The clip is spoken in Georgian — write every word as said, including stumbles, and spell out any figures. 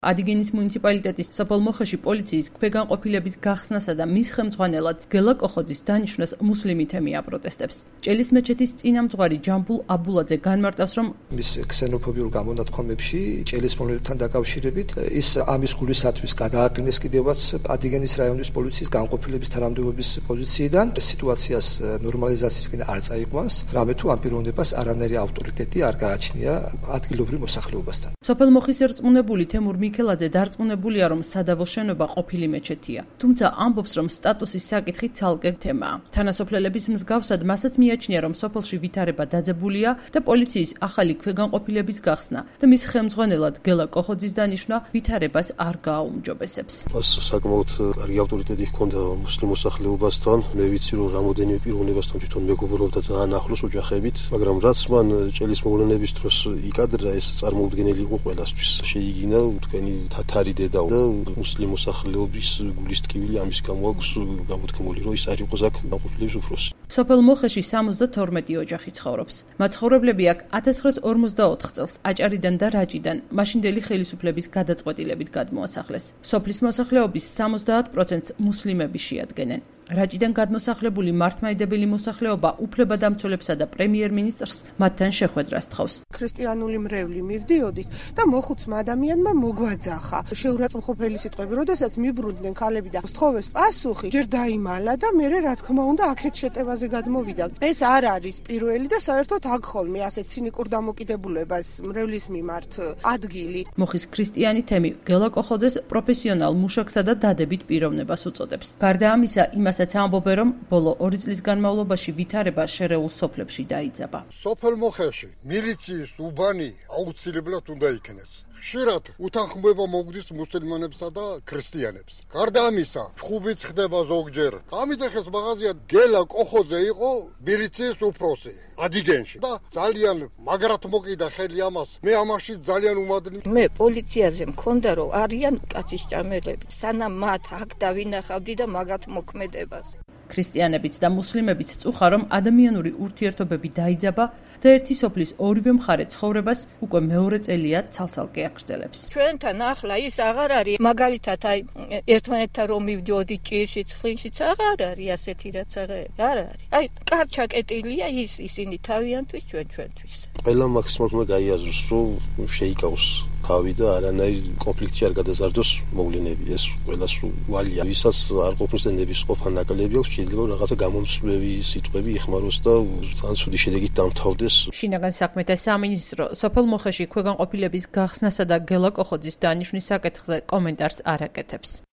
Adigénis მუნიციპალიტეტის სოფელ მოხეში პოლიციის ქვეგანყოფილების გახსნასა და მის ხელმძღვანელად გელა კოხოძის დანიშვნას მუსლიმი თემი აპროტესტებს. ჭელის მეჩეთის წინამძღვარი ჯამბულ აბულაძე განმარტავს, რომ მის ქსენოფობიურ გამონათქვამებში ჭელის მომლებთან დაკავშირებით ის ამის გულისათვის გადააყენეს კიდევაც Adigénis რაიონის პოლიციის განყოფილების თანამდებობის პოზიციიდან სიტუაციას ნორმალიზაციისკენ არ წაიყვანს, რამე თუ ამ პიროვნებას არანაირი ავტორიტეტი არ გააჩნია ადგილობრივ მოსახლეობასთან. სოფელ მოხის ერწმუნებული თემურ მიქელაძე დარწმუნებულია, რომ სადავო შენობა ყოფილი მეჩეთია. თუმცა ამბობს, რომ სტატუსის საკითხი ცალკე თემაა. თანასოფლელების მსგავსად მასაც მიაჩნია, რომ სოფელში ვითარება დაძებულია და პოლიციის ახალი ქვეგანყოფილების გახსნა და მის ხელმძღვანელად გელა კოხოძის დანიშვნა ვითარებას არ გააუმჯობესებს. მას საკმაოდ კარგი ავტორიტეტი ჰქონდა მუსლიმ მოსახლეობასთან. მე ვიცი, რომ რამოდენიმე პიროვნებასთან თვითონ მეგობრობდა ძალიან ახლოს ოჯახებით, მაგრამ რაც მან ჭელის მოვლენების დროს იკადრა, ეს წარმოუდგენელი იყო ყველასთვის. შეიგინა თქვენი თათარი დედა და მუსლიმ მოსახლეობის გულის ტკივილი ამის გამო აქვს გამოთქმული, რომ ის არ იყოს აქ განყოფილების უფროსი. სოფელ მოხეში სამოცდათორმეტი ოჯახი ცხოვრობს. მაცხოვრებლები აქ ათას ცხრაას ორმოცდაოთხ წელს აჭარიდან და რაჭიდან მაშინდელი ხელისუფლების გადაწყვეტილებით გადმოასახლეს. სოფლის მოსახლეობის სამოცდაათ პროცენტს მუსლიმები შეადგენენ. რაჭიდან გადმოსახლებული მართლმადიდებელი მოსახლეობა უფლებადამცველებსა და პრემიერ-მინისტრს მათთან შეხვედრას თხოვს. ქრისტიანული მრევლი მივდიოდით და მოხუცმა ადამიანმა მოგვაძახა. შეურაცხმყოფელი სიტყვები, როდესაც მიბრუნდნენ ქალები და სთხოვეს პასუხი, ჯერ დაიმალა და მერე რა თქმა უნდა აქეთ შეტევაზე გადმოვიდა. ეს არ არის პირველი და საერთოდ აქ ხოლმე ასეთ ცინიკურ დამოკიდებულებას მრევლის მიმართ ადგილი. მოხის ქრისტიანი თემი გელა კოხოძეს პროფესიონალ მუშაკსა და დადებით პიროვნებას უწოდებს. გარდა ამისა, იმას ამბობენ, რომ ბოლო ორი წლის განმავლობაში ვითარება შერეულ სოფლებში დაიძაბა. სოფელ მოხეში მილიციის უბანი აუცილებლად უნდა იქნეს. ხშირად უთანხმოება მოგვდის მუსლიმანებსა და ქრისტიანებს. გარდა ამისა, ჩხუბიც ხდება ზოგჯერ. გამიძახეს მაღაზია გელა კოხოძე იყო მილიციის უფროსი Adigénში და ძალიან მაგრად მოკიდა ხელი ამას. მე ამაში ძალიან უმადლი. მე პოლიციაზე მქონდა, რომ არიან კაცის ჭამელები. სანამ მათ აქ დავინახავდი და მაგათ მოქმედებას. ქრისტიანებიც და მუსლიმებიც წუხა, რომ ადამიანური ურთიერთობები დაიძაბა და ერთი სოფლის ორივე მხარე ცხოვრებას უკვე მეორე წელია ცალ-ცალკე აგრძელებს. ჩვენთან ახლა ის აღარ არის, მაგალითად აი ერთმანეთთან რომ მივდიოდი ჭირში, ცხლინშიც აღარ არის ასეთი რაც აღარ არის. აი კარჩაკეტილია ის ისინი თავიანთვის ჩვენ ჩვენთვის. ყველა მაქსიმალურად გაიაზროს, რომ შეიკავოს თავი და არანაირ კონფლიქტში არ გადაზარდოს მოვლენები. ეს ყველას ვალია, ვისაც არ ყოფნის და ნების ყოფა ნაკლები აქვს, შეიძლება რაღაცა გამომწვევი სიტყვები იხმაროს და ძალიან ცუდი შედეგით დამთავრდეს. შინაგან საქმეთა სამინისტრო სოფელ მოხეში ქვეგანყოფილების გახსნასა და გელა კოხოძის დანიშვნის საკითხზე კომენტარს არ აკეთებს.